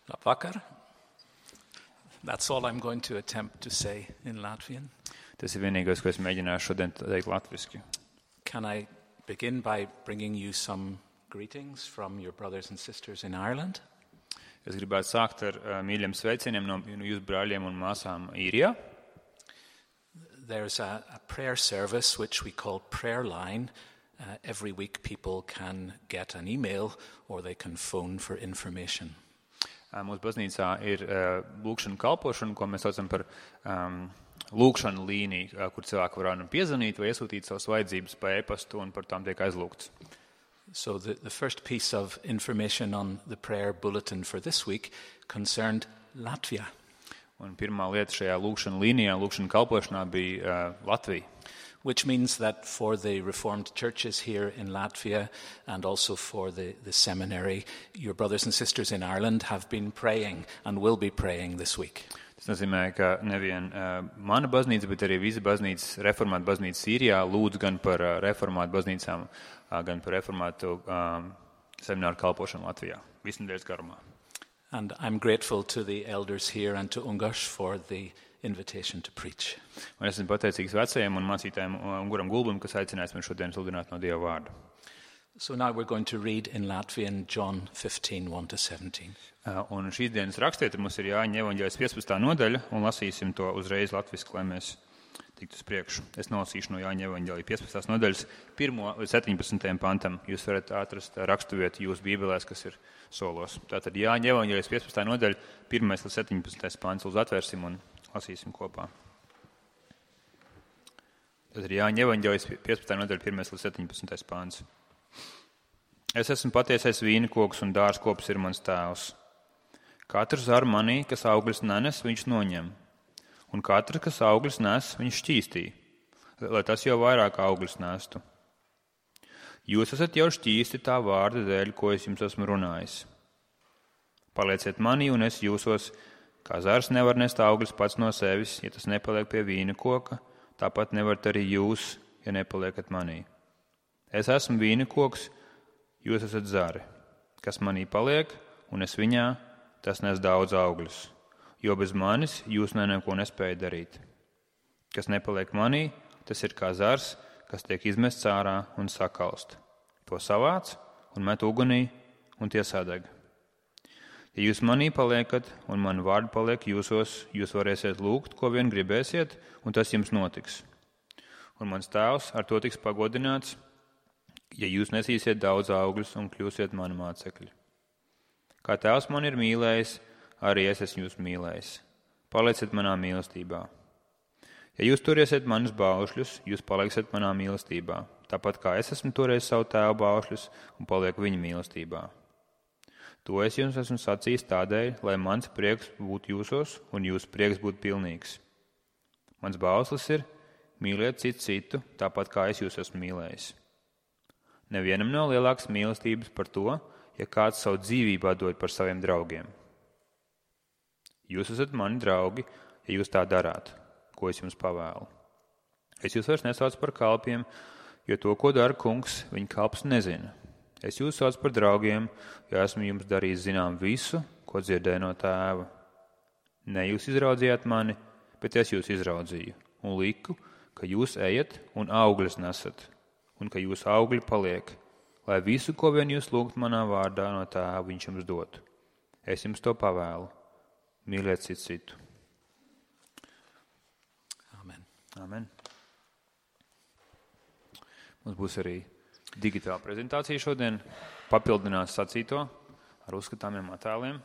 Labvakar. That's all I'm going to attempt to say in Latvian. Tas ir vienīgais, ko es mēģināšu šodien teikt latviski. Can I begin by bringing you some greetings from your brothers and sisters in Ireland? Es gribētu sākt ar mīļiem sveicieniem no jūsu brāļiem un māsām Īrijā. There's a prayer service which we call Prayer Line. Every week people can get an email or they can phone for information. Mūsu baznīcā ir lūkšana kalpošana, ko mēs saucam par lūkšanu līniju, kur cilvēki var piezvanīt vai iesūtīt savas vajadzības pa e-pastu un par tām tiek aizlūgts. So the first piece of information on the prayer bulletin for this week concerned Latvia. Un pirmā lieta šajā lūkšana līnijā, lūkšana kalpošanā bija Latvija. Which means that for the Reformed churches here in Latvia and also for the seminary, your brothers and sisters in Ireland have been praying and will be praying this week. Tas nozīmē, ka nevien mana baznīca, bet arī visa baznīca, reformāta baznīca Sīrijā lūdz gan par reformātu baznīcām, gan par reformātu semināru kalpošanu Latvijā, visu nedēļas garumā. And I'm grateful to the elders here and to Ungash for the invitation to preach. Un esmu pateicīgs vecajiem un mācītājiem Unguram Gulbim, kas aicinājis man šodien sludināt no Dieva vārda. So now we're going to read in Latvian John 15, 1-17. Un šīs dienas rakstiet, mums ir Jāņa evaņģēlijas 15. nodaļa, un lasīsim to uzreiz latviski, lai mēs tiktu uz priekšu. Es nolasīšu no Jāņa evaņģēlijas 15. nodaļas 1. līdz 17. pantam. Jūs varat atrast raksturvietu jūsu bībelēs, kas ir solos. Tātad Jāņa evaņģēlijas 15. nodaļa 1. līdz 17. pants. Lūdzu atvērsim un lasīsim kopā. Tātad Jāņa evaņģēlijas 15. nodaļa 1. līdz 17. pants. Es esmu patiesais vīnikoks un dārzkops ir mans tēvs. Katrs ar manī, kas augļus nenes, viņš noņem. Un katrs, kas augļus nes, viņš šķīstī, lai tas jau vairāk augļus nestu. Jūs esat jau šķīsti tā vārda dēļ, ko es jums esmu runājis. Palieciet manī un es jūsos, kā zars nevar nest augļus pats no sevis, ja tas nepaliek pie vīna koka, tāpat nevarat arī jūs, ja nepaliekat manī. Es esmu vīnikoks, jūs esat zari, kas manī paliek, un es viņā, tas nes daudz augļus, jo bez manis jūs neko nespējat darīt. Kas nepaliek manī, tas ir kā zars, kas tiek izmests ārā un sakalst. To savāc un met ugunī, un tie sadeg. Ja jūs manī paliekat, un mani vārdi paliek jūsos, jūs varēsiet lūgt, ko vien gribēsiet, un tas jums notiks. Un mans tēvs ar to tiks pagodināts, ja jūs nesīsiet daudz augļus un kļūsiet mani mācekļi. Kā tēvs man ir mīlējis, arī es esmu jūs mīlējis. Palieciet manā mīlestībā. Ja jūs turiesiet manus baušļus, jūs paliksiet manā mīlestībā, tāpat kā es esmu turējis savu tēvu baušļus un palieku viņa mīlestībā. To es jums esmu sacījis tādēļ, lai mans prieks būtu jūsos un jūsu prieks būtu pilnīgs. Mans bauslis ir mīliet citu, tāpat kā es jūs esmu mīlējis. Nevienam nav lielākas mīlestības par to, ja kāds savu dzīvību dod par saviem draugiem. Jūs esat mani draugi, ja jūs tā darāt, ko es jums pavēlu. Es jūs vairs nesaucu par kalpiem, jo to, ko dara kungs, viņa kalps nezina. Es jūs saucu par draugiem, jo esmu jums darījis zinām visu, ko dzirdēju no tēva. Ne jūs izraudzījāt mani, bet es jūs izraudzīju un liku, ka jūs ejat un augļus nesat, un ka jūsu augļi paliek, lai visu, ko vien jūs lūgt manā vārdā no tēva, viņš jums dotu. Es jums to pavēlu. Mīliet citu. Amen. Amen. Mums būs arī digitāla prezentācija šodien, papildināt sacīto ar uzskatāmiem attēliem.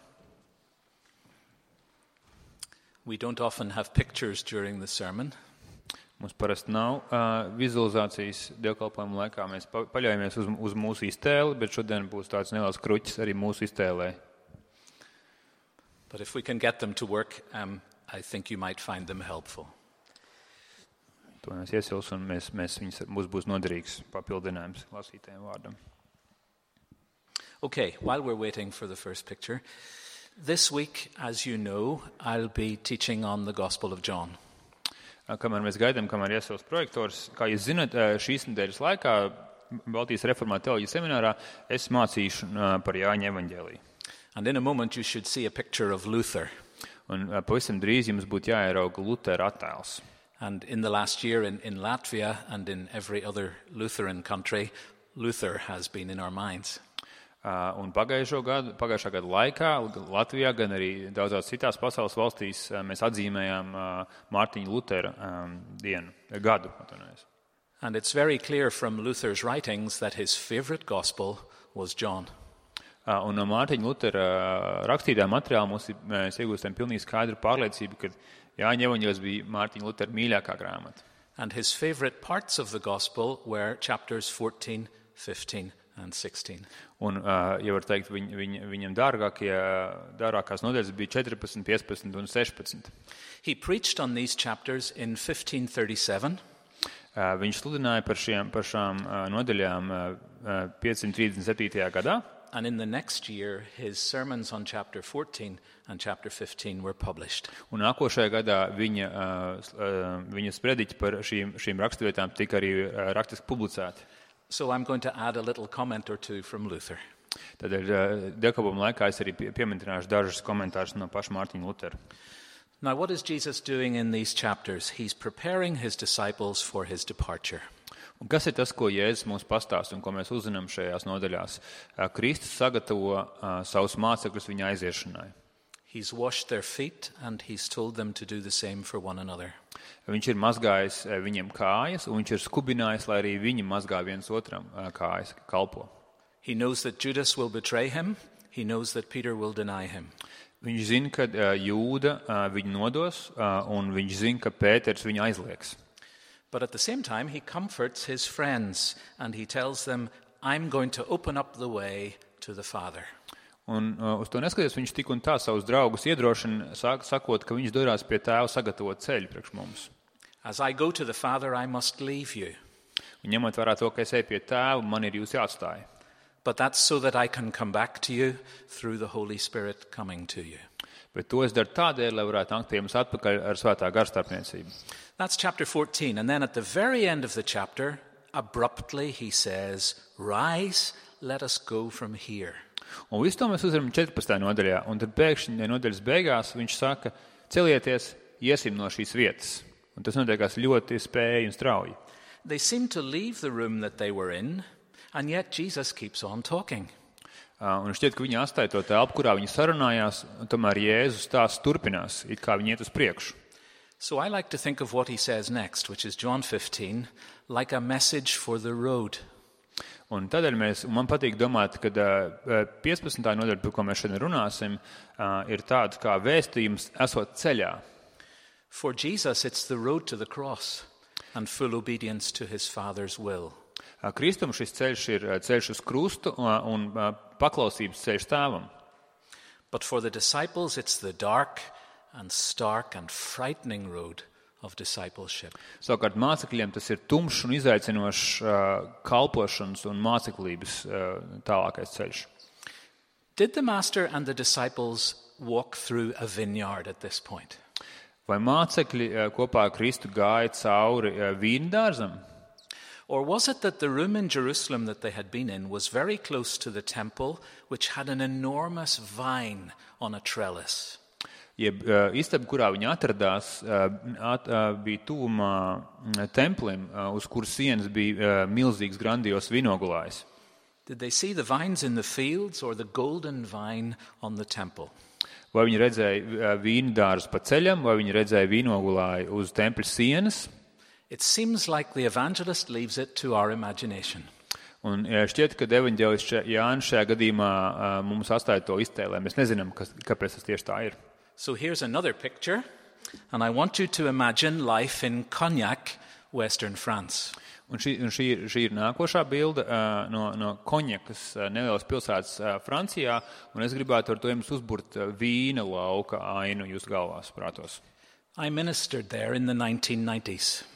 We don't often have pictures during the sermon. Mums parasti nav vizualizācijas dievkalpojuma laikā. Mēs paļaujamies uz mūsu iztēli, bet šodien būs tāds neliels kruķis arī mūsu iztēlē. But if we can get them to work, I think you might find them helpful. To mēs iesils un mums būs noderīgs papildinājums lasītajam vārdam. Okay, while we're waiting for the first picture, this week, as you know, I'll be teaching on the Gospel of John. Kamēr mēs gaidām, kamēr iesils projektors, kā jūs zināt, šīs nedēļas laikā Baltijas reformāta teoloģijas seminārā es mācīšu par Jāņa evaņģēliju. And in a moment you should see a picture of Luther. Un pavisam drīz jums būtu jāierauga Lutera attēls. And in the last year in Latvia and in every other Lutheran country, Luther has been in our minds. Un pagājušā gada laikā Latvijā, gan arī daudzās citās pasaules valstīs mēs atzīmējām Mārtiņa Lutera gadu. And it's very clear from Luther's writings that his favorite gospel was John. Un no Mārtiņa Lutera rakstītā materiāla mēs iegūstam pilnīgi skaidru pārliecību, ka Jāņa evaņģēlijs bija Mārtiņa Lutera mīļākā grāmata. And his favorite parts of the gospel were chapters 14, 15 and 16. Un, ja var teikt, viņam dārgākās nodaļas bija 14, 15 un 16. He preached on these chapters in 1537. Viņš sludināja par šām nodaļām 537. gadā. And in the next year, his sermons on chapter 14 and chapter 15 were published. Un nākošajā gadā viņa sprediķi par šīm raksturvietām tika arī rakstiski publicēti. So I'm going to add a little comment or two from Luther. Tādēļ dievkalpojuma laikā es arī pieminēšu dažus komentārus no paša Mārtiņa Lutera. Now, what is Jesus doing in these chapters? He's preparing his disciples for his departure. Un kas ir tas, ko Jēzus mums pastāsta un ko mēs uzzinām šajās nodaļās? Kristus sagatavo savus mācekļus viņa aiziešanai. He's washed their feet and he's told them to do the same for one another. Viņš ir mazgājis viņiem kājas un viņš ir skubinājis, lai arī viņi mazgā viens otram kājas, kalpo. He knows that Judas will betray him. He knows that Peter will deny him. Viņš zina, ka Jūda viņu nodos un viņš zina, ka Pēters viņu aizliegs. But at the same time, he comforts his friends and he tells them, I'm going to open up the way to the Father. Un uz to neskatoties, viņš tik un tā savus draugus iedrošina, sakot, ka viņš dodas pie Tēva sagatavot ceļu priekš mums. As I go to the Father, I must leave you. Un ņemot vērā to, ka es eju pie Tēva, man ir jūs jāatstāj. But that's so that I can come back to you through the Holy Spirit coming to you. Bet to es daru tādēļ, lai varētu nākt pie jums atpakaļ ar svētā gara starpniecību. That's chapter 14. And then at the very end of the chapter, abruptly he says, Rise, let us go from here. Un visu to mēs uzvaram 14. nodaļā. Un tad pēkšņi nodaļas beigās viņš saka, celieties, iesim no šīs vietas. Un tas notiekās ļoti spēji un strauji. They seem to leave the room that they were in, and yet Jesus keeps on talking. Un šķiet, ka viņi atstāja to telpu, kurā viņi sarunājās, un tomēr Jēzus stāsts turpinās, it kā viņi iet uz priekšu. So I like to think of what he says next, which is John 15, like a message for the road. Un tādēļ man patīk domāt, ka 15. nodaļa, par ko mēs šodien runāsim, ir tāds kā vēstījums esot ceļā. For Jesus, it's the road to the cross and full obedience to his Father's will. Kristum šis ceļš ir ceļš uz krustu un paklausības ceļš Tēvam. But for the disciples, it's the dark and stark and frightening road of discipleship. Savukārt mācekļiem tas ir tumšs un izaicinošs kalpošanas un māceklības tālākais ceļš. Did the master and the disciples walk through a vineyard at this point? Vai mācekļi kopā ar Kristu gāja cauri vīndārzam? Or was it that the room in Jerusalem that they had been in was very close to the temple, which had an enormous vine on a trellis? Jeb istaba, kurā viņi atradās, bija tuvumā templim, uz kuras sienas bija milzīgs grandios vinogulājs. Did they see the vines in the fields or the golden vine on the temple? Vai viņi redzēja vīndārzu pa ceļam, vai viņi redzēja vinogulāju uz tempļa sienas? It seems like the evangelist leaves it to our imagination. Un šķiet, ka evaņģēlists Jānis šajā gadījumā mums atstāja to iztēlē. Mēs nezinām, kāpēc tas tieši tā ir. So here's another picture, and I want you to imagine life in Cognac, Western France. Un šī ir nākošā bilde no Konjakas nelielas pilsētas Francijā, un es gribētu ar to jums uzburt vīna lauka ainu jūsu galvās, prātos. I ministered there in the 1990s.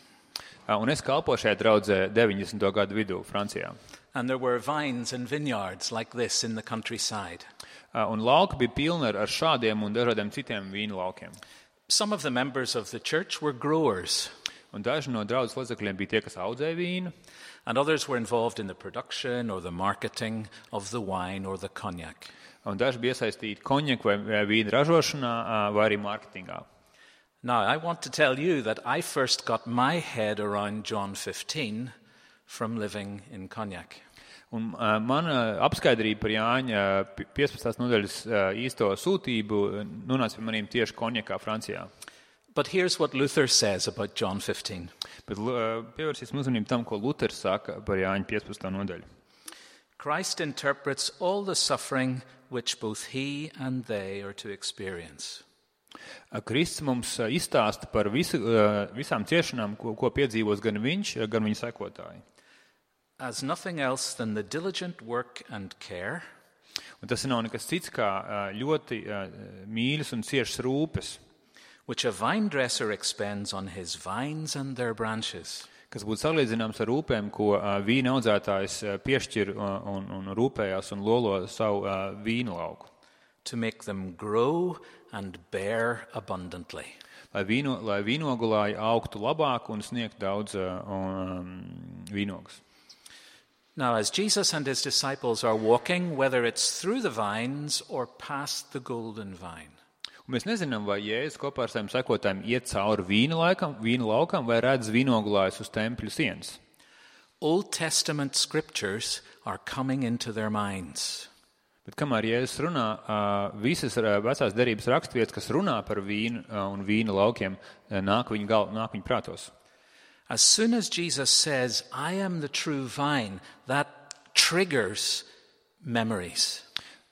Un es kalpoju šajā draudzē 90. gadu vidū Francijā. And there were vines and vineyards like this in the countryside. Un lauki bija pilni ar šādiem un dažādiem citiem vīna laukiem. Some of the members of the church were growers. Un daži no draudzes locekļiem bija tie, kas audzēja vīnu. And others were involved in the production or the marketing of the wine or the cognac. Un daži bija iesaistīti konjaku vai vīna ražošanā vai arī mārketingā. Now, I want to tell you that I first got my head around John 15 from living in Cognac. Un mana apskaidrība par Jāņa 15. nodaļas īsto sūtību nonāca pie maniem tieši Konjakā, Francijā. But here's what Luther says about John 15. Bet pievērsīsim uzmanību tam, ko Luters saka par Jāņa 15. nodaļu. Christ interprets all the suffering which both he and they are to experience. Kristus mums izstāsta par visām ciešanām, ko piedzīvos gan viņš, gan viņa sekotāji. As nothing else than the diligent work and care, Un tas nav nekas cits kā ļoti mīļas un ciešas rūpes, which a vine dresser expends on his vines and their branches, kas būtu salīdzināms ar rūpēm, ko vīna audzētājs piešķir un rūpējās un lolo savu vīna lauku. to make them grow and bear abundantly. Lai vīnogulāji augtu labāk un sniegtu daudz vīnogus. Now, as Jesus and his disciples are walking, whether it's through the vines or past the golden vine, Un mēs nezinām, vai Jēzus kopā ar saviem sekotājiem iet cauri vīna laukam vai redz vīnogulājus uz tempļa sienas. Old Testament scriptures are coming into their minds. Bet kamēr Jēzus runā, visas vecās derības raksturvietas, kas runā par vīnu un vīna laukiem, nāk viņa prātos. As soon as Jesus says, I am the true vine, that triggers memories.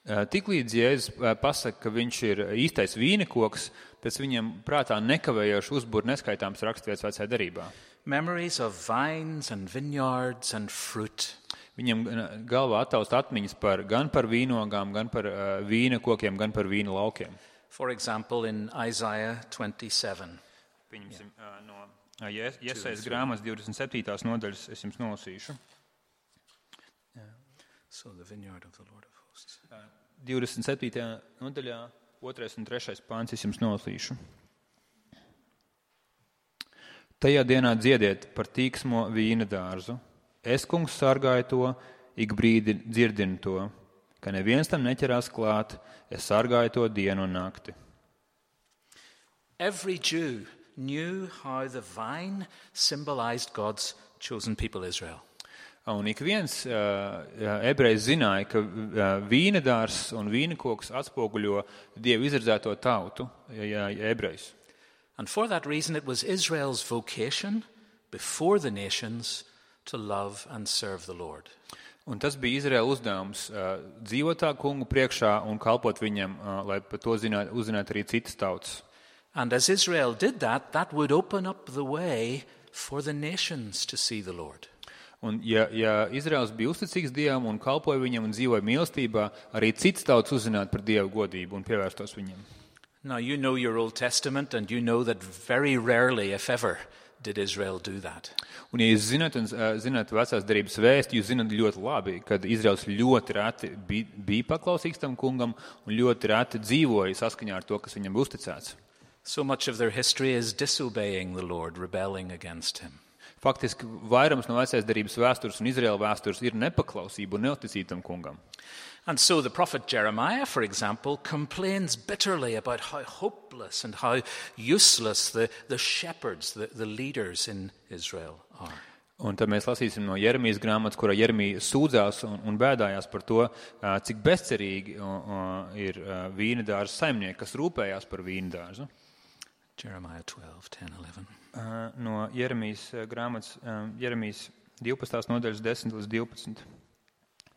Tiklīdz Jēzus pasaka, ka viņš ir īstais vīnekoks, pēc viņam prātā nekavējoši uzbur neskaitāms raksturvietas vecajā derībā. Memories of vines and vineyards and fruit. Viņam galvā attaust atmiņas gan par vīnogām, gan par vīna kokiem, gan par vīna laukiem. For example, in Isaiah 27. Pieņemsim no Jesajas grāmatas 27. nodaļas, es jums nolasīšu. So the vineyard of the Lord of hosts. 27. nodaļā, 2. un 3. pāns, es jums nolasīšu. Tajā dienā dziediet par tīksmo vīna dārzu. Es, kungs, sargāju to, ik brīdi dzirdinu to, ka neviens tam neķerās klāt, es sargāju to dienu un nakti. Every Jew knew how the vine symbolized God's chosen people, Israel. Un ik viens ebrejs zināja, ka vīnedārs un vīnekoks atspoguļo Dievu izredzēto tautu, ebrejs. And for that reason it was Israel's vocation before the nations to love and serve the Lord. Un tas bija Izraēla uzdevums dzīvot tā kungu priekšā un kalpot viņam, lai par to uzzinātu arī citas tautas. And as Israel did that, that would open up the way for the nations to see the Lord. Un ja Izraels bija uzticīgs Dievam un kalpoja viņam un dzīvoja mīlestībā, arī citas tautas uzzinātu par Dievu godību un pievērstos viņam. Now you know your Old Testament and you know that very rarely, if ever, did Israel do that. Un ja jūs zināt vecās derības vēsti, jūs zināt ļoti labi, kad Izraels ļoti reti bija paklausīgs tam kungam un ļoti reti dzīvoja saskaņā ar to, kas viņam bija uzticēts. So much of their history is disobeying the Lord, rebelling against him. Faktiski vairums no vecās derības vēstures un Izraēla vēstures ir nepaklausība un neuzticība tam kungam. And so the prophet Jeremiah, for example, complains bitterly about how hopeless and how useless the shepherds, the leaders in Israel are. Un tad mēs lasīsim no Jeremijas grāmatas, kurā Jeremija sūdzās un bēdājās par to, cik bezcerīgi ir vīnedārza saimnieki, kas rūpējās par vīnedārzu. Jeremiah 12, 10, 11. No Jeremijas grāmatas, Jeremijas 12. nodaļas 10 līdz 12.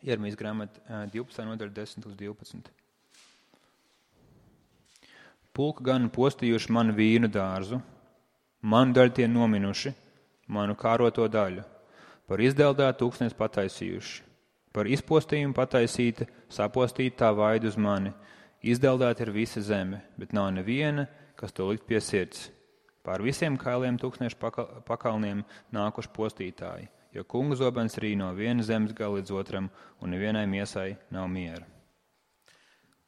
Jeremijas grāmata 12. nodaļa 10 līdz 12. Pulka gan postījuši manu vīnu dārzu, manu daļu tie nominuši, manu kāroto daļu, par izdeldētu tūkstnes pataisījuši, par izpostījumu pataisīta, sapostīta tā vaidu uz mani, izdeldēta ir visa zeme, bet nav neviena, kas to likt pie sirds. Pār visiem kailiem tūkstnešu pakalniem nākuši postītāji, jo kunga zobens rī no vienas zemes gala līdz otram, un nevienai miesai nav miera.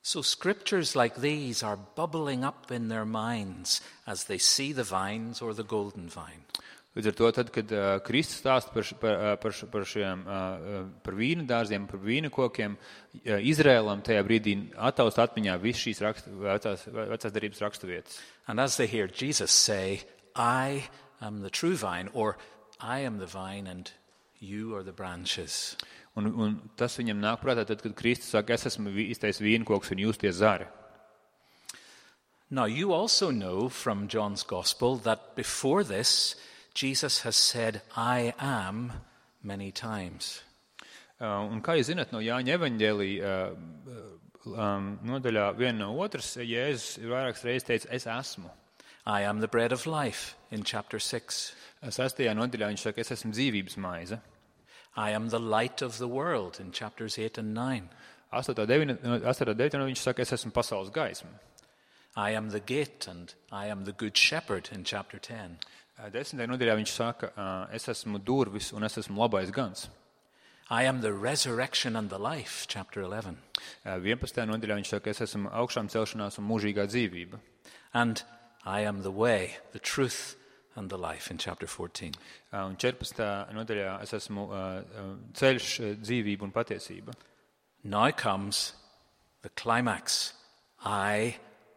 So scriptures like these are bubbling up in their minds as they see the vines or the golden vine. Līdz ar to, tad, kad Kristus stāsta par vīnu dārziem, par vīnu kokiem, Izrēlam tajā brīdī attaust atmiņā viss šīs vecās darības raksturvietas. And as they hear Jesus say, I am the true vine, or I am the vine and you are the branches. Un tas viņam nāk prātā, tad, kad Kristus saka, es esmu īstais vīnkoks un jūs tie zari. Now, you also know from John's Gospel that before this, Jesus has said, I am, many times. Un kā jūs zināt, no Jāņa evaņģēlija nodaļā viena no otras, Jēzus vairākas reizes teica, es esmu. I am the bread of life in chapter 6. 6. nodaļā viņš saka, es esmu dzīvības maize. I am the light of the world in chapters 8 and 9. 8.9. viņš saka, es esmu pasaules gaisma. I am the gate and I am the good shepherd in chapter 10. 10. nodaļā viņš saka, es esmu durvis un es esmu labais gans. I am the resurrection and the life, chapter 11. 11. nodaļā viņš saka, es esmu augšām celšanās un mūžīgā dzīvība. And I am the way, the truth and the life in chapter 14. Un 14. nodaļā es esmu ceļš, dzīvība un patiesība. Now comes the climax. I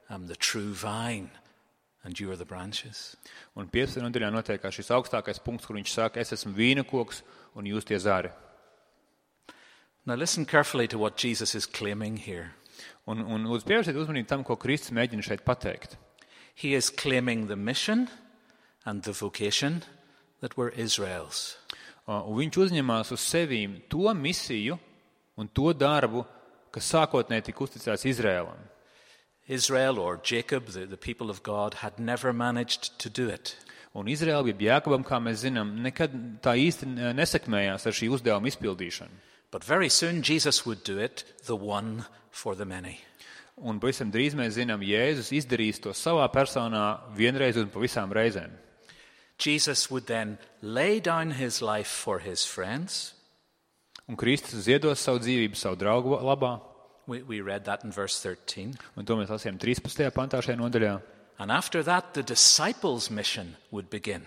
am the true vine and you are the branches. Un 15. nodaļā notiekās šis augstākais punkts, kur viņš saka, es esmu vīna koks un jūs tie zari. Now listen carefully to what Jesus is claiming here. Un lūdzu pievērsiet uzmanību tam, ko Kristus mēģina šeit pateikt. He is claiming the mission and the vocation that were Israel's. Un viņš uzņemās uz sevīm to misiju un to darbu, kas sākotnēji tika uzticēts Izrēlam. Israel or Jacob, the people of God, had never managed to do it. Un Izrēla bija Jākabam, kā mēs zinām, nekad tā īsti nesekmējās ar šī uzdevuma izpildīšanu. But very soon Jesus would do it, the one for the many. Un pavisam drīz mēs zinām, Jēzus izdarīs to savā personā vienreiz un pa visām reizēm. Jesus would then lay down his life for his friends. Un Kristus ziedos savu dzīvību savu draugu labā. We read that in verse 13. Un to mēs lasījām 13. pantā šajā nodaļā. And after that, the disciples' mission would begin.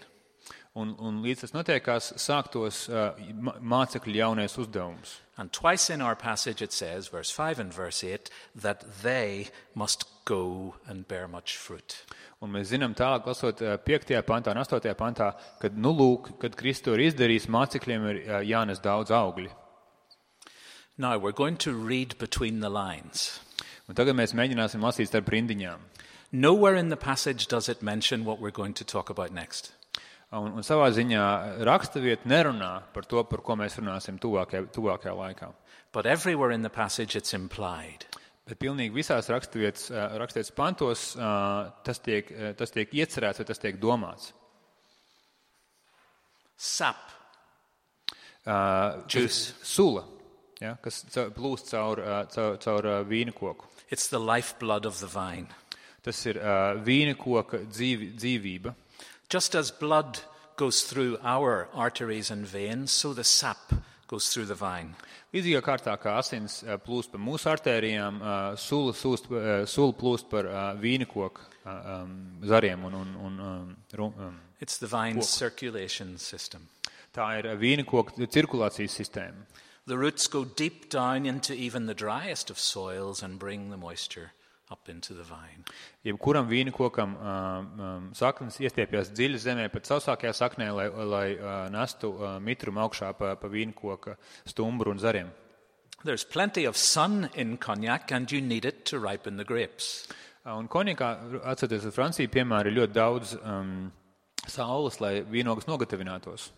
Un līdz tas notiekās, sāktos mācekļu jaunais uzdevums. And twice in our passage it says, verse 5 and verse 8, that they must go and bear much fruit. Un mēs zinām tālāk, lasot 5. pantā un 8. pantā, kad, kad Kristus ir izdarījis, mācekļiem ir jānes daudz augļi. Now, we're going to read between the lines. Un tagad mēs mēģināsim lasīt starp rindiņām. Nowhere in the passage does it mention what we're going to talk about next. Un savā ziņā rakstavieta nerunā par to, par ko mēs runāsim tuvākajā laikā. But everywhere in the passage it's implied. Bet pilnīgi visās rakstvietas pantos tas tiek iecerēts vai tas tiek domāts. Sap. Juice. Sula, ja, kas plūst caur vīna koku. It's the lifeblood of the vine. Tas ir vīna koka dzīvība. Just as blood goes through our arteries and veins, so the sap goes through the vine. Līdzīgā kārtā, kā asins plūst pa mūsu artērijām, sula plūst par vīna koku zariem un It's the vine's circulation system. Tā ir vīna koka cirkulācijas sistēma. The roots go deep down into even the driest of soils and bring the moisture up into the vine. Jebkuram vīna kokam saknes iestiepjas dziļi zemē, pat sausākajā saknē, lai nestu mitrumu augšā pa vīna koka stumbru un zariem. There's plenty of sun in Cognac and you need it to ripen the grapes. Un Konjakā, atcerieties, Francija, piemēram, ir ļoti daudz saules, lai vīnogas nogatavinātos.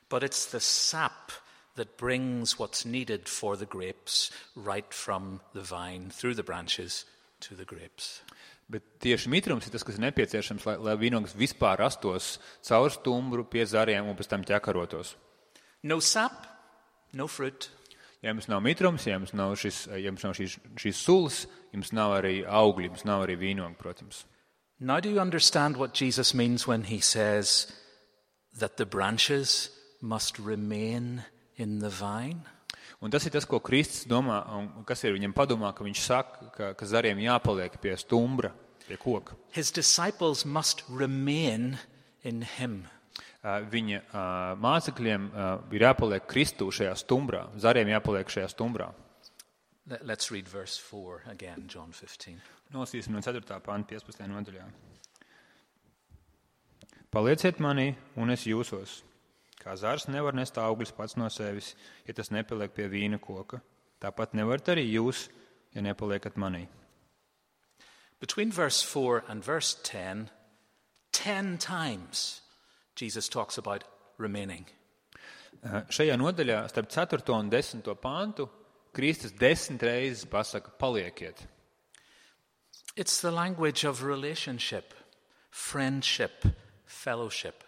But it's the sap that brings what's needed for the grapes right from the vine through the branches to the grapes. Bet tieši mitrums ir tas, kas ir nepieciešams, lai vīnogas vispār rastos caur stumbru pie zariem un pēc tam ķekarotos. No sap, no fruit. Ja jums nav mitrums, ja jums nav šīs sulas, jums nav arī augļi, jums nav arī vīnoga, protams. Now do you understand what Jesus means when he says that the branches must remain in the vine? Un tas ir tas, ko Kristus domā, un kas ir viņam padomā, ka viņš saka, ka zariem jāpaliek pie stumbra, pie koka. His disciples must remain in him. viņa mācekļiem ir jāpaliek Kristū šajā stumbrā, zariem jāpaliek šajā stumbrā. Let's read verse 4 again, John 15. Nolasīsim no 4. panta 15. nodaļā. Palieciet manī, un es jūsos. Kā zars nevar nest augļus pats no sevis, ja tas nepaliek pie vīna koka. Tāpat nevarat arī jūs, ja nepaliekat manī. Between verse 4 and verse 10 times Jesus talks about remaining. Šajā nodaļā starp 4. un 10. pantu Kristus 10 reizes pasaka palieciet. It's the language of relationship, friendship, fellowship.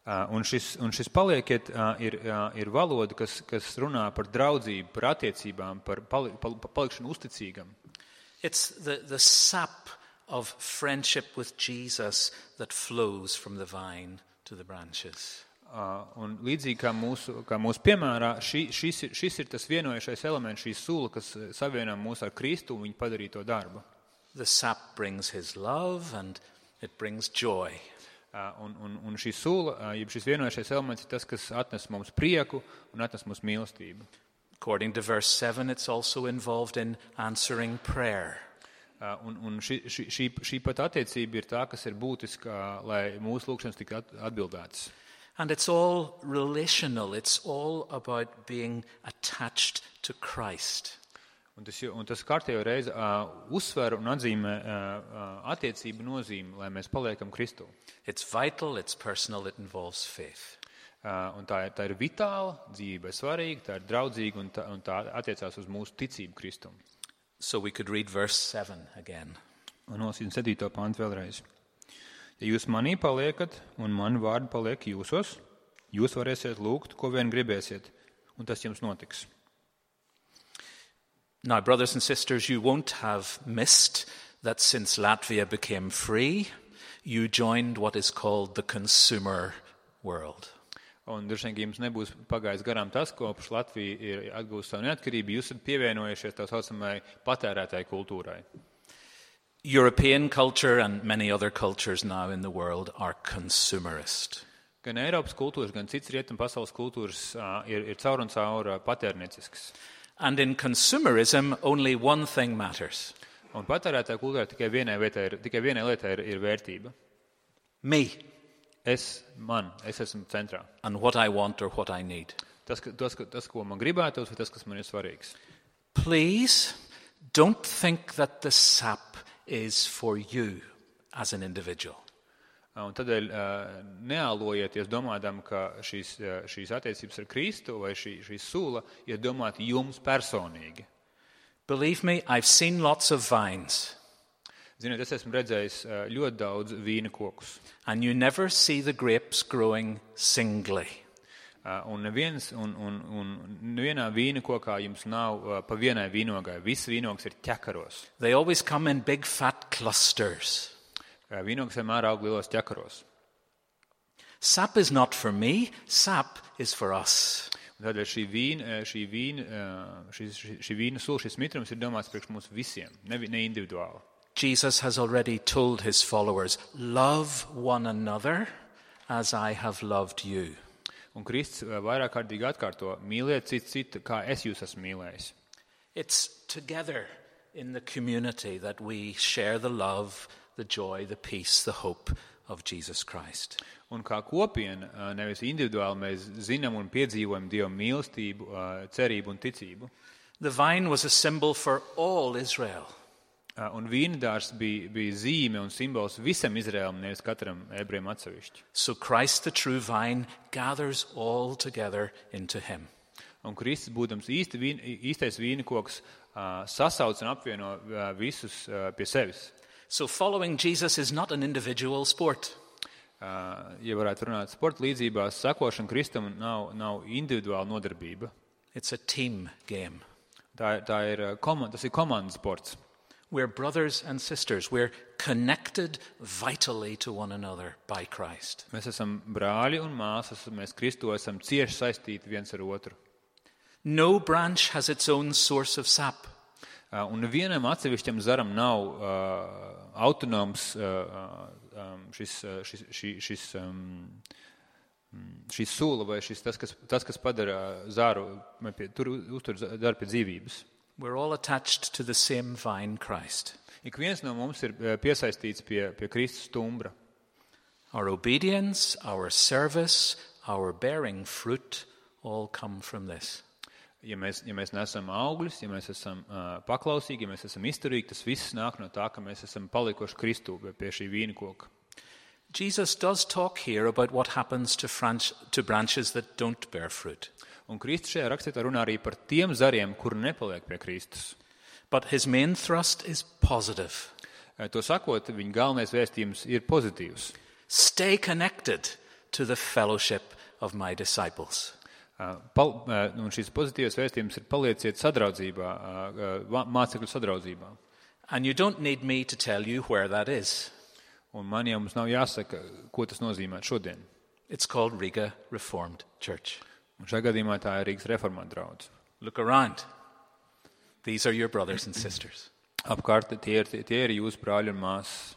Un šis palieciet ir valoda, kas runā par draudzību, par attiecībām, par palikšanu uzticīgam. It's the sap of friendship with Jesus that flows from the vine to the branches. Un līdzīgi kā mūsu piemērā, šis ir tas vienojušais elements, šī sula, kas savienā mūs ar Kristu un viņa padarīto darbu. The sap brings his love and it brings joy. Un šī sula, jeb šis vienojušais elements ir tas, kas atnes mums prieku un atnes mums mīlestību. According to verse 7, it's also involved in answering prayer. Un šī pat attiecība ir tā, kas ir būtiska, lai mūsu lūgšanas tiktu atbildētas. And it's all relational. It's all about being attached to Christ. Un tas kārtējo reizi uzsver un atzīmē attiecību nozīmi, lai mēs paliekam Kristū. It's vital, it's personal, it involves faith. Un tā ir vitāla, dzīve ir svarīga, tā ir draudzīga un tā attiecās uz mūsu ticību Kristum. So we could read verse 7 again. Un nolasīsim 7. pantu vēlreiz. Ja jūs manī paliekat un mani vārdi paliek jūsos, jūs varēsiet lūgt, ko vien gribēsiet, un tas jums notiks. Now, brothers and sisters, you won't have missed that since Latvia became free, you joined what is called the consumer world. Un droši vien, ka jums nebūs pagājis garām tas, kopš Latvija ir atgūst savu neatkarību, jūs esat pievienojušies tā saucamai patērētāju kultūrai. European culture and many other cultures now in the world are consumerist. Gan Eiropas kultūras, gan cits rietumu pasaules kultūras ir caur un caur patērniecisks. And in consumerism, only one thing matters. Un patērētāju kultūrā tikai vienai lietai ir vērtība. Me. Es esmu centrā. And what I want or what I need. Tas, ko man gribētos, vai tas, kas man ir svarīgs. Please don't think that the sap is for you as an individual. Un tādēļ neālojieties domādam, ka šīs attiecības ar Kristu vai šī sula ir domāta jums personīgi. Believe me, I've seen lots of vines. Ziniet, es esmu redzējis ļoti daudz vīna kokus. And you never see the grapes growing singly. Un nevienā vīna kokā jums nav pa vienai vīnogai. Viss vīnogs ir ķekaros. They always come in big fat clusters. Vīnogs vienmēr aug lielos ķekaros. Sap is not for me, sap is for us. Tādēļ šī vīna sula, šis mitrums ir domāts priekš mums visiem, ne individuāli. Jesus has already told his followers, love one another as I have loved you. Un Kristus vairāk kārtīgi atkārto, mīliet citu, kā es jūs esmu mīlējis. It's together in the community that we share the love, the joy, the peace, the hope of Jesus Christ. Un kā kopiena, nevis individuāli, mēs zinām un piedzīvojam Dieva mīlestību, cerību un ticību. The vine was a symbol for all Israel. Un vīndārs bija zīme un simbols visam Izraēlam, nevis katram ebrejam atsevišķi. So Christ, the true vine, gathers all together into him. Un Kristus, būdams īstais vīnakoks, sasauc un apvieno visus pie sevis. So following Jesus is not an individual sport. Ja varētu runāt sporta līdzībās, sakošana Kristum nav individuāla nodarbība. It's a team game. Tas ir komandas sports. We're brothers and sisters. We're connected vitally to one another by Christ. Mēs esam brāļi un māsas, mēs Kristu esam cieši saistīti viens ar otru. No branch has its own source of sap. Un nevienam atsevišķam zaram nav autonoms šis šī sula vai tas, kas padara zāru, tur uztur zāru pie dzīvības. We're all attached to the same vine, Christ. Ik viens no mums ir piesaistīts pie Kristus stumbra. Our obedience, our service, our bearing fruit all come from this. Ja mēs nesam augļus, ja mēs esam paklausīgi, ja mēs esam izturīgi, tas viss nāk no tā, ka mēs esam palikuši Kristū pie šī vīna koka. Jesus does talk here about what happens to branches that don't bear fruit. Un Kristus šajā rakstā runā arī par tiem zariem, kuri nepaliek pie Kristus. But his main thrust is positive. To sakot, viņa galvenais vēstījums ir pozitīvs. Stay connected to the fellowship of my disciples. Un šis pozitīvs vēstījums ir palieciet sadraudzībā, mācekļu sadraudzībā. And you don't need me to tell you where that is. Un man jau mums nav jāsaka, ko tas nozīmē šodien. It's called Riga Reformed Church. Un šajā gadījumā tā ir Rīgas reformāta draudze. Look around. These are your brothers and sisters. Apkārt tie ir jūsu brāļi un māsas.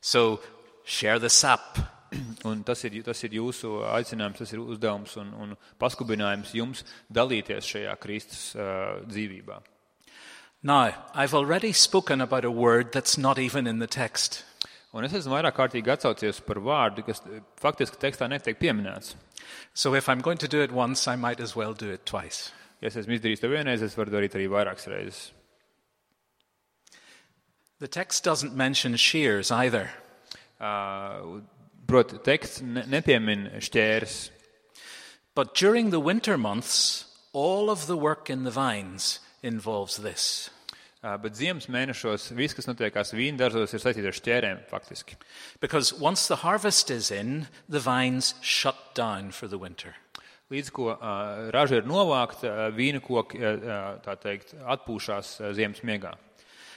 So share the sap. Un tas ir jūsu aicinājums, tas ir uzdevums un paskubinājums jums dalīties šajā Kristus dzīvībā. Now, I've already spoken about a word that's not even in the text. Un es esmu vairāk kārtīgi atsaucies par vārdu, kas faktiski tekstā netiek pieminēts. So if I'm going to do it once, I might as well do it twice. Ja es esmu izdarījis to vienreiz, es varu darīt arī vairākas reizes. The text doesn't mention shears either. Proti, teksts nepiemin šķērs. But during the winter months, all of the work in the vines involves this. Bet ziemas mēnešos viss, kas notiekās vīndarzos, ir saistīts ar šķērēm faktiski. Because once the harvest is in, the vines shut down for the winter. Līdz ko raža ir novākta, vīna koki, tā teikt, atpūšās ziemas miegā.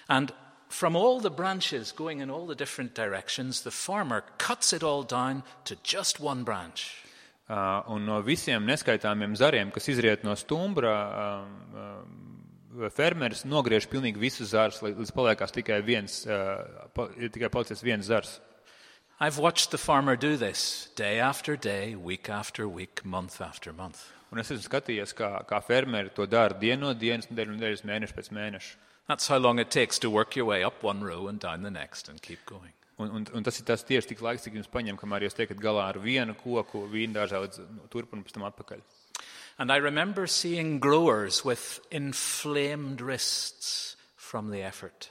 And from all the branches going in all the different directions, the farmer cuts it all down to just one branch. Un no visiem neskaitāmiem zariem, kas izriet no stumbra, fermeris nogriež pilnīgi visus zarus, līdz paliekās tikai palicis viens zars. I've watched the farmer do this day after day, week after week, month after month. Un es esmu skatījies, kā fermeri to dara dienu no dienas, nedēļas mēnešu pēc mēneša. That's how long it takes to work your way up one row and down the next and keep going. Un tas ir tas tieši tik laiks, cik jums paņem, kamēr jūs tiekat galā ar vienu koku vīndārzā līdz turp un pēc tam atpakaļ. And I remember seeing growers with inflamed wrists from the effort.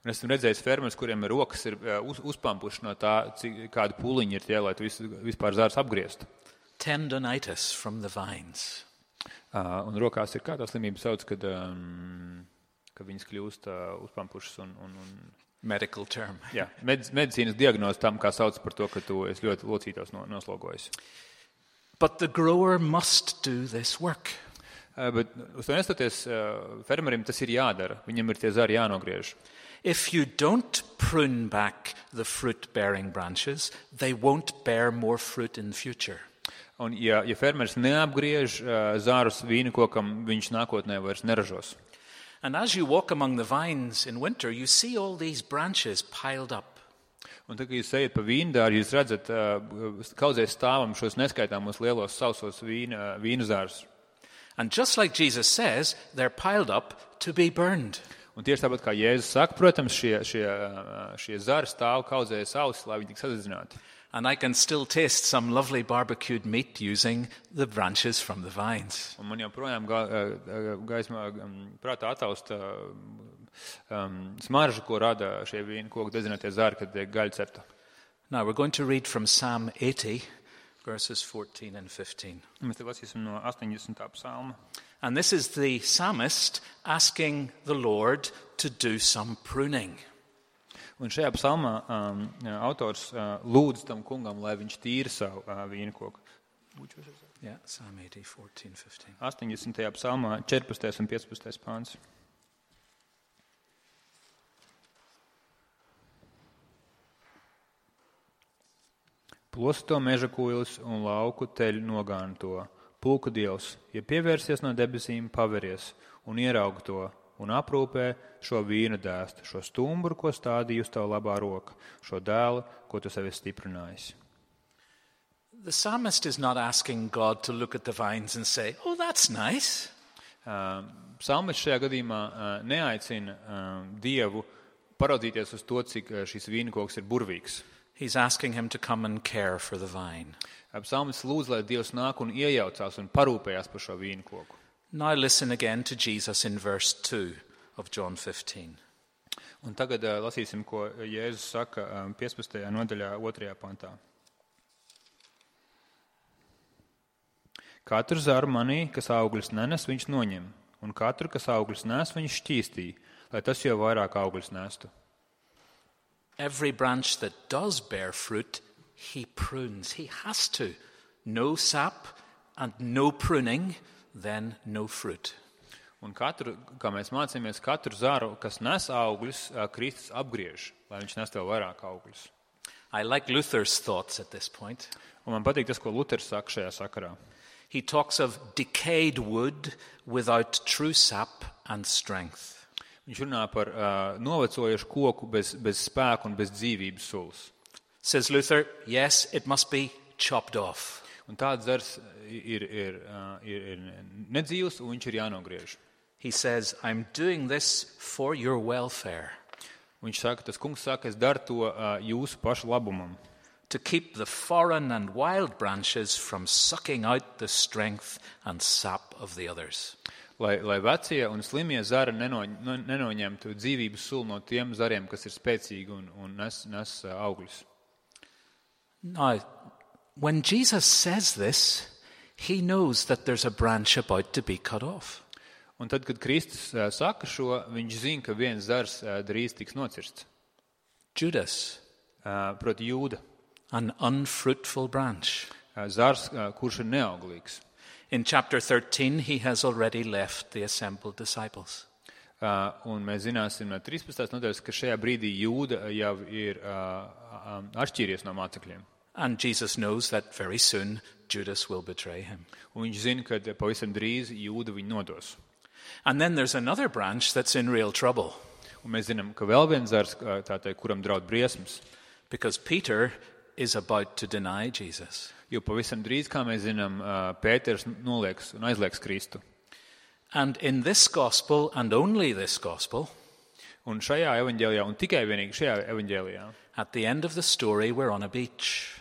Un esmu redzējis fermeris, kuriem rokas ir uzpampuši no tā, kādu pūliņu ir tie, lai tu vispār zārs apgriestu. Tendonitis from the vines. Un rokās ir kā tā slimība sauc, kad viņas kļūst uzpampušas un Medical term. Jā, medicīnas diagnoze tam, kā sauc par to, ka tu esi ļoti locītos noslogojis. But the grower must do this work. Bet uz to nestoties, fermerim tas ir jādara. Viņam ir tie zari jānogriež. If you don't prune back the fruit-bearing branches, they won't bear more fruit in the future. Un ja fermeris neapgriež zārus vīna kokam, viņš nākotnē vairs neražos. And as you walk among the vines in winter, you see all these branches piled up. Un tad, kad jūs ejat pa vīndāru, jūs redzat kaudzēs stāvam šos neskaitāmos lielos sausos vīnu zārus. And just like Jesus says, they're piled up to be burned. Un tieši tāpat kā Jēzus saka, protams, šie zari stāv kaudzēs ausis, lai viņi tik sadedzināti. And I can still taste some lovely barbecued meat using the branches from the vines. Un man joprojām gaismā prātā ataust smaržu, ko rada šie vīna koku dedzinātie zari, kad tiek gaļa cepta. Now we're going to read from Psalm 80, verses 14 and 15. Mēs te lasīsim no 80. psalma. And this is the psalmist asking the Lord to do some pruning. Un šajā psalmā autors lūdz tam kungam, lai viņš tīra savu vīna koku. Yeah, Psalm 80, 14, 15. 80. psalmā 14. un 15. pāns. Plosto meža kuilis un lauku teļu nogāna to. Pulku dievs, ja pievērsies no debesīm, paveries un ieraug to un aprūpē šo vīna dēstu, šo stumbru, ko stādīja uz tavu labā roka, šo dēlu, ko tu sevi stiprinājis. The psalmist is not asking God to look at the vines and say, oh, that's nice. Psalmists šajā gadījumā neaicina Dievu paraudzīties uz to, cik šis vīnkoks ir burvīgs. He's asking him to come and care for the vine. Psalmists lūdz, lai Dievs nāk un iejaucās un parūpējās par šo vīnkoku. Now listen again to Jesus in verse 2 of John 15. Un tagad lasīsim, ko Jēzus saka 15. nodaļā 2. pantā. Katru zaru manī, kas augļus nenes, viņš noņem, un katru, kas augļus nes, viņš šķīstī, lai tas jau vairāk augļus nestu. Every branch that does bear fruit, he prunes. He has to. No sap and no pruning, then no fruit. Un katru, kā mēs mācāmies, katru zaru, kas nes augļus, Kristus apgriež, lai viņš nes vēl vairāk augļus. I like Luther's thoughts at this point. Un man patīk tas, ko Luters saka šajā sakarā. He talks of decayed wood without true sap and strength. Viņš runā par novecojušu koku bez spēku un bez dzīvības sulas. Says Luther, yes, it must be chopped off. Un tāds zars ir nedzīvs, un viņš ir jānogriež. He says, I'm doing this for your welfare. Viņš saka, tas kungs saka, es daru to jūsu pašu labumam. To keep the foreign and wild branches from sucking out the strength and sap of the others. Lai vecie un slimie zari nenoņemtu dzīvības sulu no tiem zariem, kas ir spēcīgi un nes augļus. Now, when Jesus says this, he knows that there's a branch about to be cut off. Un tad, kad Kristus saka šo, viņš zina, ka viens zars drīz tiks nocirsts. Judas, proti Jūda. an unfruitful branch. Zars, kurš ir neauglīgs. In chapter 13, he has already left the assembled disciples. Un mēs zināsim no 13. nodaļas, ka šajā brīdī Jūda jau ir atšķīries no mācekļiem. And Jesus knows that very soon Judas will betray him. Un viņš zina, ka pavisam drīz Jūda viņu nodos. And then there's another branch that's in real trouble. Un mēs zinām, ka vēl viens zars, kuram draud briesmas. Because Peter is about to deny Jesus. Jo pavisam drīz, kā mēs zinām, Pēters nolieks un aizliegs Kristu. And in this gospel, and only this gospel, un šajā evaņģēlijā, un tikai vienīgi šajā evaņģēlijā, at the end of the story, we're on a beach.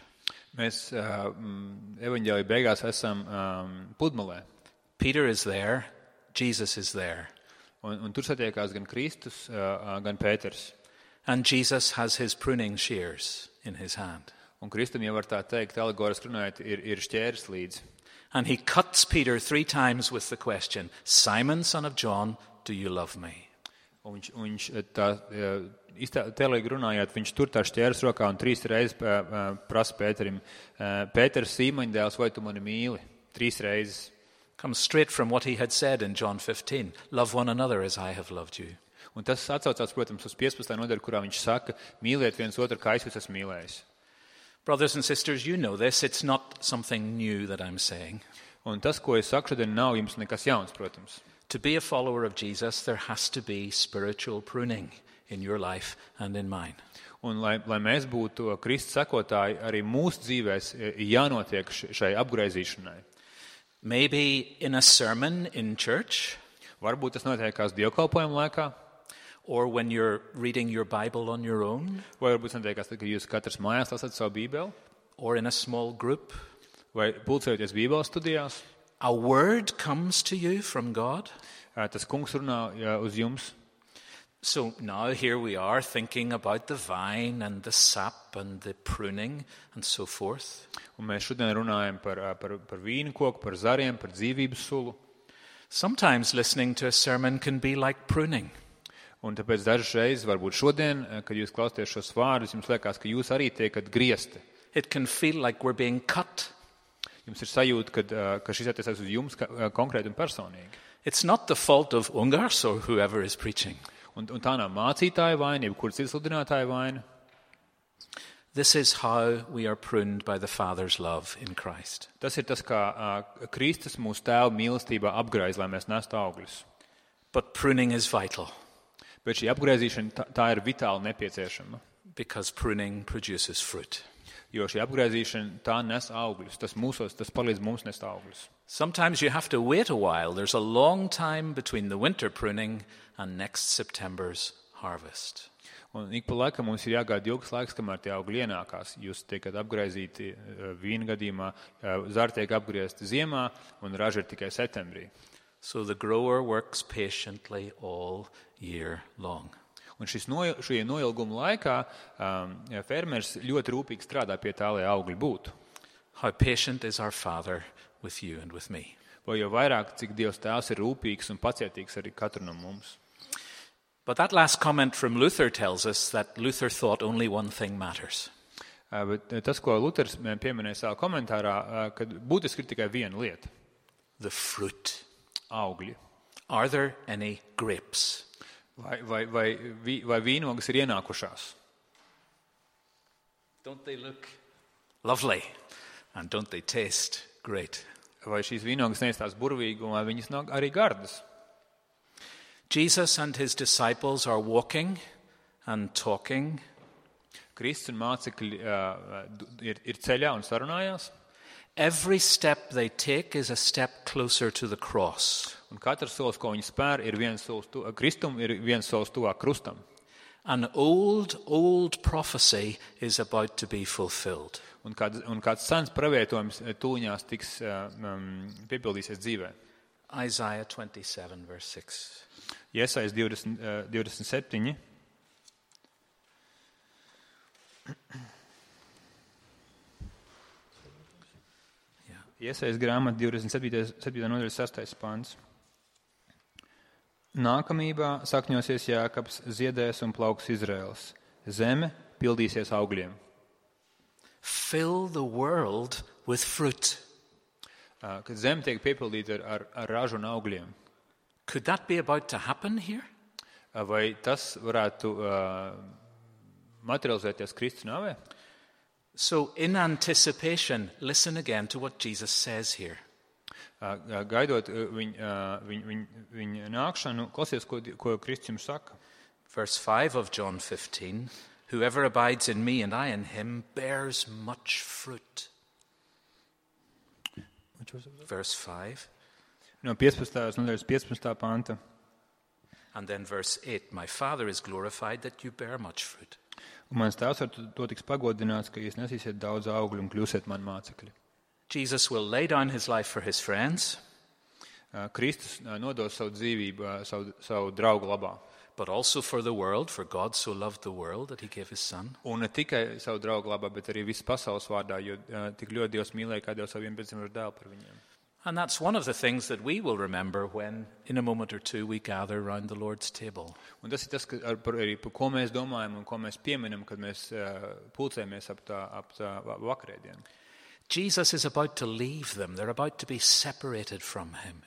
Mēs evaņģēlija beigās esam pludmalē. Peter is there, Jesus is there. Un tur satiekās gan Kristus, gan Pēters. And Jesus has his pruning shears in his hand. Un Kristum jau var tā teikt, alegoriski runājot, ir šķērs līdzi. And he cuts Peter 3 times with the question, Simon, son of John, do you love me? Un viņš tā tēlīgi runājot, viņš tur tā šķērs rokā un 3 reizes prasa Pēterim, Pēters, Sīmaņa dēls, vai tu mani mīli? 3 reizes. Comes straight from what he had said in John 15, love one another as I have loved you. Un tas atsaucās, protams, uz 15. nodaļu, kurā viņš saka, mīliet viens otru, kā es jūs esmu mīlējis. Brothers and sisters, you know this. It's not something new that I'm saying. Un tas, ko es saku šodien, nav jums nekas jauns, protams. To be a follower of Jesus, there has to be spiritual pruning in your life and in mine. Un lai mēs būtu Kristus sekotāji, arī mūsu dzīvēs jānotiek šai apgraizīšanai. Maybe in a sermon in church. Varbūt tas notiekās dievkalpojuma laikā. Or when you're reading your Bible on your own. Vai varbūt notiekās, kad jūs katrs mājās lasat savu Bībeli. Or in a small group. Vai pulcējoties Bībeles studijās. A word comes to you from God. Tas kungs runā uz jums. So now here we are thinking about the vine and the sap and the pruning and so forth. Un mēs šodien runājam par vīnu koku, par zariem, par dzīvības sulu. Sometimes listening to a sermon can be like pruning. Un tāpēc dažas reizes, varbūt šodien, kad jūs klausāties šos vārdus, jums liekas, ka jūs arī tiekat griezti. It can feel like we're being cut. Jums ir sajūta, ka šis attiecas uz jums konkrēti un personīgi. It's not the fault of Ungars or whoever is preaching. Un tā nav mācītāja vaina, jebkura cita sludinātāja vaina. This is how we are pruned by the Father's love in Christ. Tas ir tas, kā Kristus mūsu tēva mīlestībā apgraiz, lai mēs nestu augļus. But pruning is vital. Bet šī apgraizīšana tā ir vitāli nepieciešama. Because pruning produces fruit. Jo šī apgraizīšana, tā nes augļus. Tas palīdz mums nest augļus. Sometimes you have to wait a while. There's a long time between the winter pruning and next September's harvest. Un ik pa laikam mums ir jāgaida ilgs laiks, kamēr tie augļi ienākās. Jūs tiekat apgraizīti vīna gadījumā, zari tiek apgriezti ziemā, un raža ir tikai septembrī. So the grower works patiently all year long. Un šī noilguma laikā fermers ļoti rūpīgi strādā pie tā, lai augļi būtu. How patient is our Father with you and with me. Vai jau vairāk, cik Dievs tēvs ir rūpīgs un pacietīgs arī katru no mums. But that last comment from Luther tells us that Luther thought only one thing matters. Bet tas, ko Luters pieminēja savā komentārā, kad būtiski ir tikai viena lieta. The fruit. Augļi. Are there any grapes? Vai vīnogas ir ienākušās? Don't they look lovely? And don't they taste great? Vai šīs vīnogas neizstās burvīgi un vai viņas nav arī gardas? Jesus and his disciples are walking and talking. Kristus un mācekļi ir ceļā un sarunājās. Every step they take is a step closer to the cross. Un katrs solis, ko viņi spēr, ir viens solis Kristum, ir viens solis tuvāk krustam. An old prophecy is about to be fulfilled. Un kāds sens pravietojums tūņās tiks piepildīsies dzīvē. Isaiah 27, verse 6. Jesajas 27. Jesajas grāmata 27. nodaļas 6. pants. Nākamībā sakņosies Jākabs, ziedēs un plauks Izraels. Zeme pildīsies augļiem. Fill the world with fruit. Kad zeme tiek piepildīta ar ražu un augļiem. Could that be about to happen here? Vai tas varētu materializēties Kristus nāvē? So in anticipation, listen again to what Jesus says here. Gaidot viņa nākšanu, klausies, ko Kristus jums saka. Verse 5 of John 15, whoever abides in me and I in him bears much fruit. Verse 5. No 15. nodaļas 15. panta. And then verse 8, my Father is glorified that you bear much fruit. Un mans tēvs ar to tiks pagodināts, ka jūs nesīsiet daudz augļu un kļūsiet mani mācekļi. Jesus will lay down his life for his friends. Kristus nodos savu dzīvību savu draugu labā. But also for the world, for God so loved the world that he gave his son. Un ne tikai savu draugu labā, bet arī visas pasaules vārdā, jo tik ļoti Dievs mīlēja, kā Dievs savu vienpiedzimušo dēlu par viņiem. And that's one of the things that we will remember when, in a moment or two, we gather around the Lord's table. Un tas ir tas, arī par ko mēs domājam un ko mēs pieminam, kad mēs pulcējamies ap tā vakarēdienu. Jesus is about to leave them. They're about to be separated from him.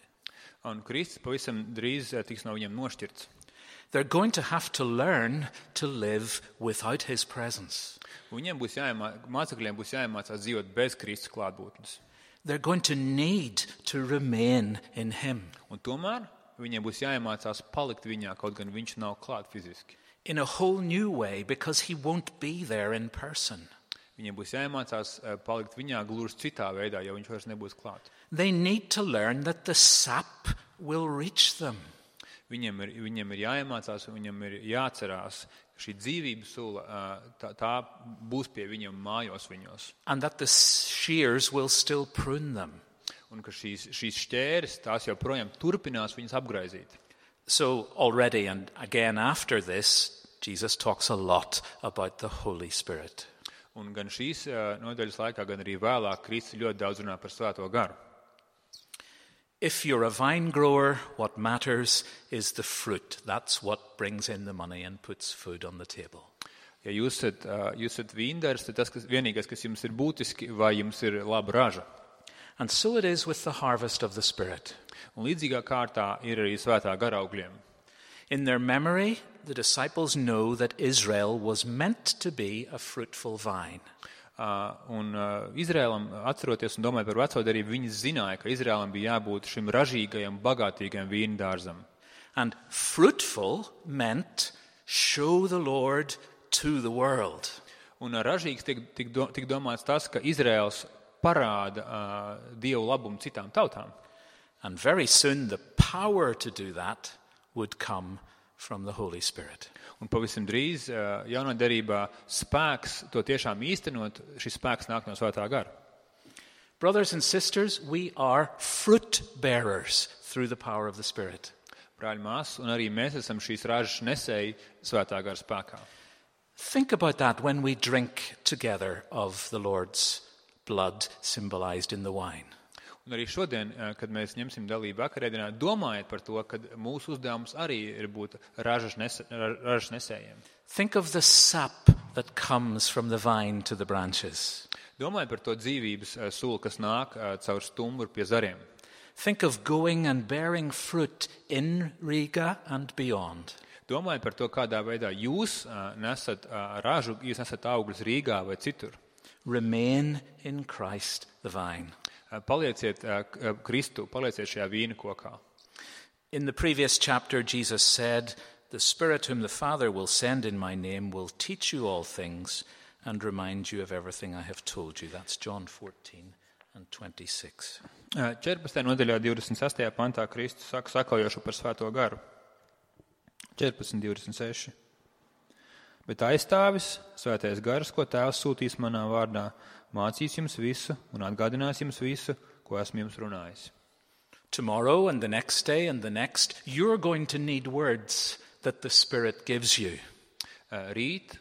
Un Kristus pavisam drīz tiks no viņiem nošķirts. They're going to have to learn to live without his presence. Viņiem mācekļiem būs jāiemācās dzīvot bez Kristus klātbūtnes. They're going to need to remain in him. Un tomēr viņiem būs jāiemācās palikt viņā, kaut gan viņš nav klāt fiziski. In a whole new way, because he won't be there in person. Viņiem būs jāiemācās palikt viņā gluži citā veidā, jo viņš vairs nebūs klāt. They need to learn that the sap will reach them. Viņiem ir jāiemācās, viņiem ir jāatcerās, šī dzīvības sula, tā būs pie viņiem mājos viņos. And that the shears will still prune them. Un ka šīs šķēres, tās joprojām turpinās viņas apgraizīt. So already and again after this, Jesus talks a lot about the Holy Spirit. Un gan šīs nodaļas laikā, gan arī vēlāk Kristus ļoti daudz runā par Svēto garu. If you're a vine grower, what matters is the fruit. That's what brings in the money and puts food on the table. Ja jūs esat vīndars, tad tas vienīgais, kas jums ir būtiski, vai jums ir laba raža. And so it is with the harvest of the Spirit. Un līdzīgā kārtā ir arī Svētā gara augļiem. In their memory, the disciples know that Israel was meant to be a fruitful vine. Izrēlam, atceroties un domājot par veco darību, viņi zināja, ka Izrēlam bija jābūt šim ražīgajam, bagātīgajam vīndārzam. And fruitful meant show the Lord to the world. Un ražīgs tik domāts tas, ka Izraels parāda Dievu labumu citām tautām. And very soon the power to do that would come from the Holy Spirit. Un pavisam drīz jaunā derībā spēks to tiešām īstenot, šis spēks nāk no Svētā gara. Brothers and sisters, we are fruit bearers through the power of the Spirit. Brāļi, māsas, un arī mēs esam šīs ražas nesēji Svētā gara spēkā. Think about that when we drink together of the Lord's blood symbolized in the wine. Un arī šodien, kad mēs ņemsim dalību vakarēdienā, domājiet par to, ka mūsu uzdevums arī ir būt ražas nesējiem. Think of the sap that comes from the vine to the branches. Domājiet par to dzīvības sulu, kas nāk caur stumbru pie zariem. Think of going and bearing fruit in Riga and beyond. Domājiet par to, kādā veidā jūs nesat ražu, jūs nesat augļus Rīgā vai citur. Remain in Christ the vine. Palieciet Kristu, palieciet šajā vīna kokā. In the previous chapter, Jesus said, "The Spirit whom the Father will send in my name will teach you all things and remind you of everything I have told you." That's John 14 and 26. 14. nodaļā 26. pantā Kristus saka sakojošu par Svēto garu. 14.26. Bet aizstāvis, Svētais gars, ko Tēvs sūtīs manā vārdā, mācīs jums visu un atgādinās jums visu, ko esmu jums runājis. Tomorrow and the next day and the next, you're going to need words that the Spirit gives you. Rīt,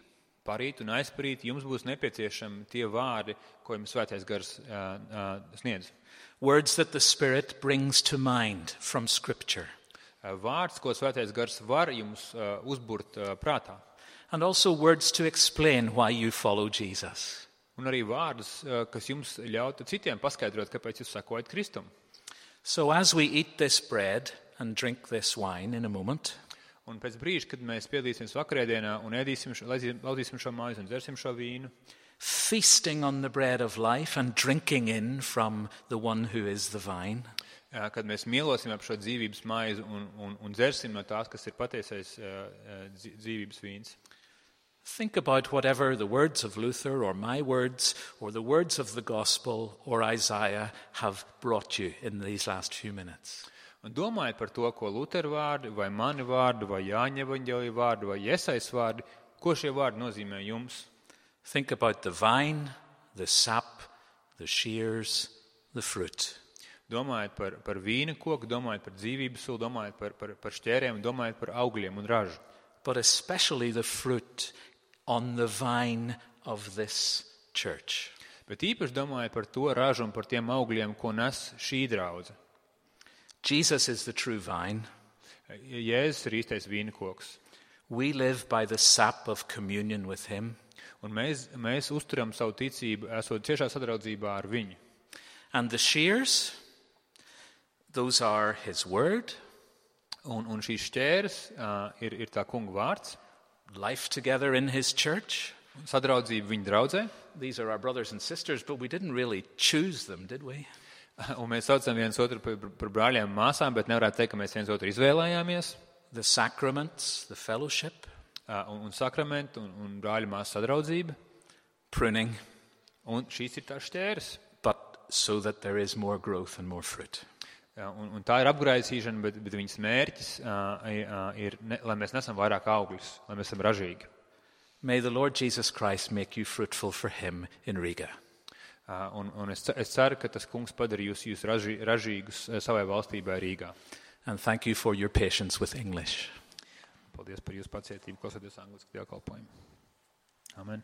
parīt un aizparīt jums būs nepieciešami tie vārdi, ko jums Svētais gars sniedz. Words that the Spirit brings to mind from Scripture. Vārds, ko Svētais gars var jums uzburt prātā. And also words to explain why you follow Jesus. Un arī vārdus, kas jums ļautu citiem paskaidrot, kāpēc jūs sakojat Kristum. So as we eat this bread and drink this wine in a moment, Un pēc brīža, kad mēs piedalīsimies vakarēdienā un laudīsim šo mājas un dzersim šo vīnu, feasting on the bread of life and drinking in from the one who is the vine, kad mēs mielosim ap šo dzīvības maizi un dzersim no tās, kas ir patiesais dzīvības vīns. think about whatever the words of Luther or my words or the words of the gospel or Isaiah have brought you in these last few minutes. Un domājiet par to, ko Lutera vārdi, vai mani vārdi, vai Jāņa evaņģēlija vārdi, vai Jesais vārdi, ko šie vārdi nozīmē jums. Think about the vine, the sap, the shears, the fruit. Domājiet par vīna koku, domājiet par dzīvības sulu, domājiet par šķērēm, domājiet par augļiem un ražu. But especially the fruit on the vine of this church. Bet īpaši domājiet par to ražu un par tiem augļiem, ko nes šī draudze. Jesus is the true vine. Jēzus ir īstais vīna koks. We live by the sap of communion with him. Un mēs uzturam savu ticību, esot ciešā sadraudzībā ar viņu. And the shears, those are his word. Un šīs šķēres ir tā kunga vārds. Life together in his church. Sadraudzība viņa draudzē. These are our brothers and sisters, but we didn't really choose them, did we? Un mēs saucam viens otru par brāļiem un māsām, bet nevarētu teikt, ka mēs viens otru izvēlējāmies. The sacraments, the fellowship. Un sakramentu un brāļu māsu sadraudzība. Pruning. Un šīs ir tās šķēres. But so that there is more growth and more fruit. Un tā ir apgraisīšana, bet viņas mērķis ir, lai mēs nesam vairāk augļus, lai mēs esam ražīgi. May the Lord Jesus Christ make you fruitful for him in Riga. Un es ceru, ka tas kungs padara jūs ražīgus savai valstībai Rīgā. And thank you for your patience with English. Paldies par jūsu pacietību, klausoties angliski dievkalpojumu. Amen.